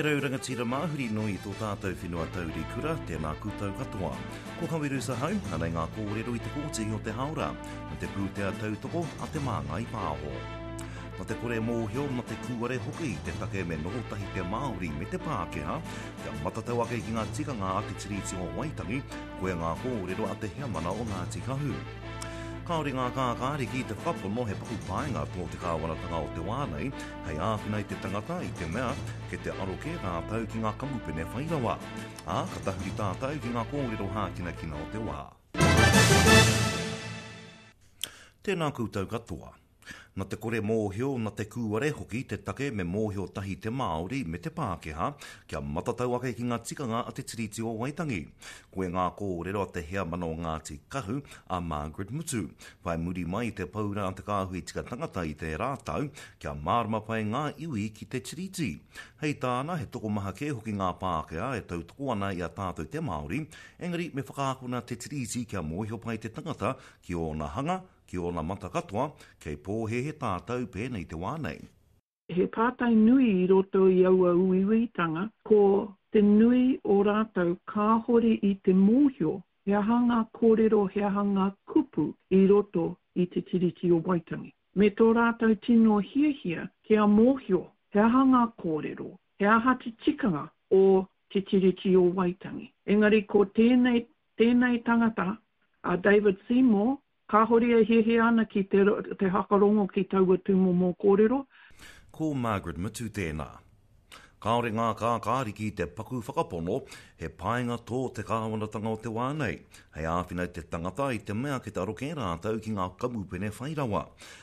E rau rangatira mā, huri noa i tō tātou whenua taurikura, tēnā koutou katoa. Ko Kaweru Sahau, anei ngā kōrero i te kōti o te hāora, me te pūtea tautoko a Te Māngai Pāho. Na te kore mōhio, na te kūare hoki te take me noho tahi te Māori me te Pākehā, kia matatau ake ki ngā tikanga a te Tiriti o Waitangi, koia ngā kōrero a te heamana o Ngāti Kahu. Kāore ngā kākāriki i te whakapono he paku painga tō te kāwanatanga o te wā nei hei āwhina i te tangata i te mea kei te aro kē rātou ki ngā kamupene whai rawa. Ā, ka tahuri tātou ki ngā kōrero hākinakina o te wā. Tēnā koutou katoa. Na te kore mōhio, na te kūare hoki te take me mōhio tahi te Māori me te Pākehā kia matatau ake ki ngā tikanga a te Tiriti o Waitangi. Koe ngā kōrero a te heamana o Ngāti Kahu, a Margaret Mutu, whai muri mai i te paura a te Kāhui Tika Tangata i tērā tau kia mārama pai ngā iwi ki te Tiriti. Hei tāna, he tokomaha kē hoki ngā Pākehā e tautoko ana i a tātou te Māori, engari me whakaakona te Tiriti kia mōhio pai te tangata ki ōna hanga, Ki ōna mata katoa, kei pōhēhē tātou pēnei te wā nei. He pātai nui i roto i aua uiuitanga, ko te nui o rātou kāhore i te mōhio he aha ngā kōrero, he aha ngā kupu i roto i Te Tiriti o Waitangi. Me tō rātou tino hiahia kia mōhio he aha ngā kōrero, he aha te tikanga o Te Tiriti o Waitangi. Engari ko tēnei, tēnei tangata, a David Seymour, Kāhore e hiahia ana ki te te hakarongo ki taua tūmomo kōrero. Ko Margaret Mutu tēnā. Kāore ngā kākāriki i te paku whakapono he painga tō te kāwanatanga o te wā nei hei āwhina i te tangata i te mea kei te aro kē rātou ki ngā kamupene whai rawa.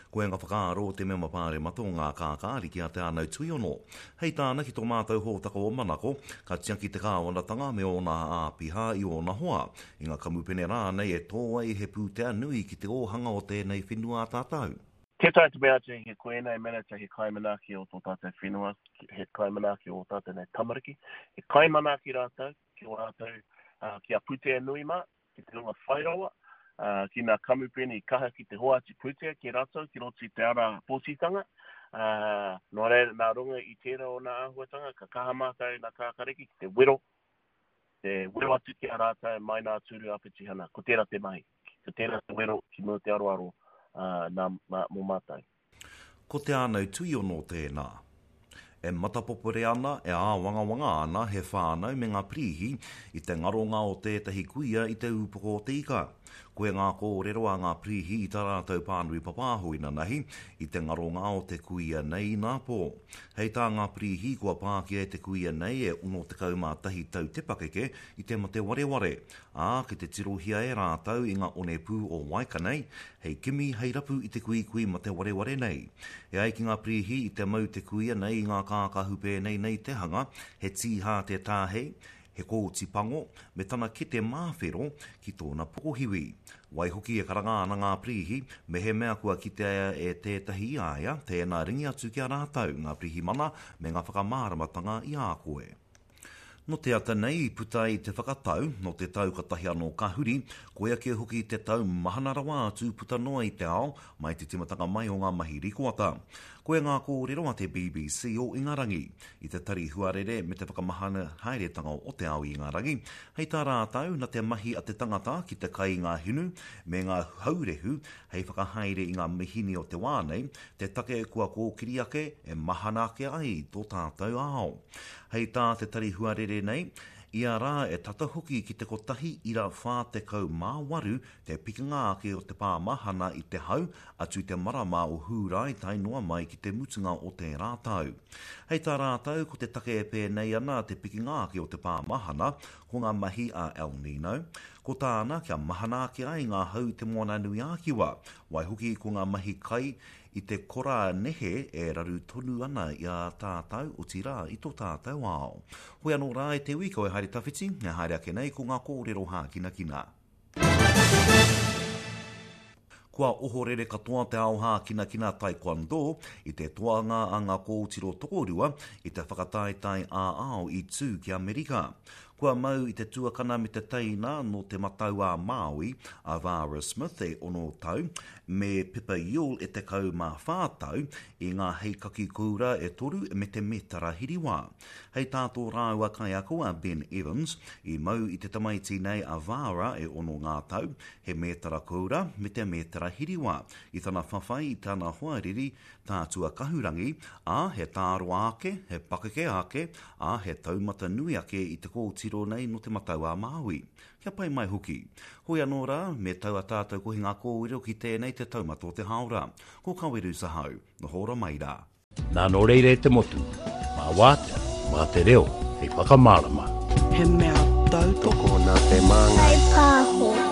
Koia ngā whakaaro o te mema pāremata o ngā kākāriki a Te Ānau Tuiono. Hei tāna ki tō mātou hōtaka o Manako, ka tiaki te kāwanatanga me ōna āpiha i ōna hoa, i ngā kamupene rānei e tō ai he pūtea nui ki te ōhanga o tēnei whenua a tātou. Tē taea te mea atu he ko ēnei minita he kaimanaaki o tō tātou whenua, he kaimanaaki o ō tātou nei tamariki. He kaimanaaki rātou ki ō rātou, ki a pūtea nui mā, ki te hunga whai rawa, ki ngā kamupene i kaha ki te hoatu pūtea ki rātou ki roto i te ara pōtitanga. Nō reira, nā runga i tērā o ngā āhuatanga, ka kaha mātou nā Kākariki ki te wero te wero atu ki a rātou mai nā tūru a petihana. Ko tērā te mahi. Ko tērā te wero ki mua te aroaro nā, mā, mō mātou. Ko Te Ānau Tuiono tēnā. E matapopore ana, e āwangawanga ana he whānau me ngā pirīhi i te ngaronga o tētahi kuia i te ūpoko o te ika. Koia ngā kōrero a ngā pirīhi i tā rātou pānui papāho inanahi i te ngaronga o te kuia nei inapō. Hei tā ngā pirīhi kua pākia e te kuia nei e 61 tau te pakeke i te mate wareware, ā, kei te tirohia e rātou i ngā onepū o Waikanae hei kimi, hei rapu i te kuikui mate wareware nei. E ai ki ngā pirīhi i te mau te kuia nei i ngā kākahu pēnei nei te hanga, he tīhā te tāhei, he kōti pango, me tana kete māwhero ki tōna pokohiwi. Waihoki e karanga ana ngā pirīhi, mehemea kua kitea e tētahi i a ia, tēnā ringi atu ki a rātou, ngā pirihimana, me ngā whakamāramatanga i a koe. Nō te ata nei i puta ai te whakatau, nō te tau katahi anō ka huri, koia kē hoki te tau mahana rawa atu puta noa i te ao, mai te timatanga mai o ngā mahi rikoata. Koia ngā kōrero a te BBC o Ingarangi. I te tari huarere me te whakamahana haeretanga o te ao i Ingarangi, hei tā rātou, na te mahi a te tangata ki te kai i ngā hinu me ngā haurehu hei whakahaere i ngā mihini o te wā nei, te take kua kōkiri ake e mahana ake ai tō tātou ao. Hei tā te tari huarere nei, ia rā e tata hoki ki te 1.48 te pikinga ake o te pāmahana i te hau atu i te marama o Hūrae tae noa mai ki te mutunga o tērā tau. Hei tā rātou, ko te take e pēnei ana te pikinga ake o te pāmahana, ko ngā mahi a El Nino. Ko tāna, kia mahana ake ai ngā hau i Te Moananui-a-Kiwa, waihoki ko ngā mahi kai i te kora nehe e raru tonu ana i a tātou, otirā, i tō tātou ao. Hoi anō rā e te ui, kau e haere tawhiti, e haere ake nei ko ngā kōrero hākinakina. Kua ohorere katoa te ao hākinakina taekwondo i te toanga a ngā kōtiro tokorua i te whakataetae ā-ao i tū ki Amerika. Kua mau i te tuakana me te teina nō Te Matau-a-Māui, a Vara Smith e ono tau, me Pippa Yule e 14 tau, i ngā heikaki koura e toru me te mētara hiriwā. Hei tā tō rāua kaiako a Ben Evans, i mau i te tamaiti nei a Vara e ono ngā tau, he mētara koura me te mētara hiriwā, i tana whawhai i tana hoariri Tā Tuakahurangi, ā, he tāroa ake, he pakeke ake, ā, he taumata nui ake i te kōtiro nei nō Te Matau-a-Māui. Kia pai mai hoki. Hoi anō rā, me tau a tātou kohinga kōrero ki tēnei te taumata o te hāora. Ko Kaweru Sahau. Noho ora mai rā. Nā nō reira e te motu, mā wātea, mā te reo hei whakamārama. He mea tautoko. Nā te māngai. Kaipāho.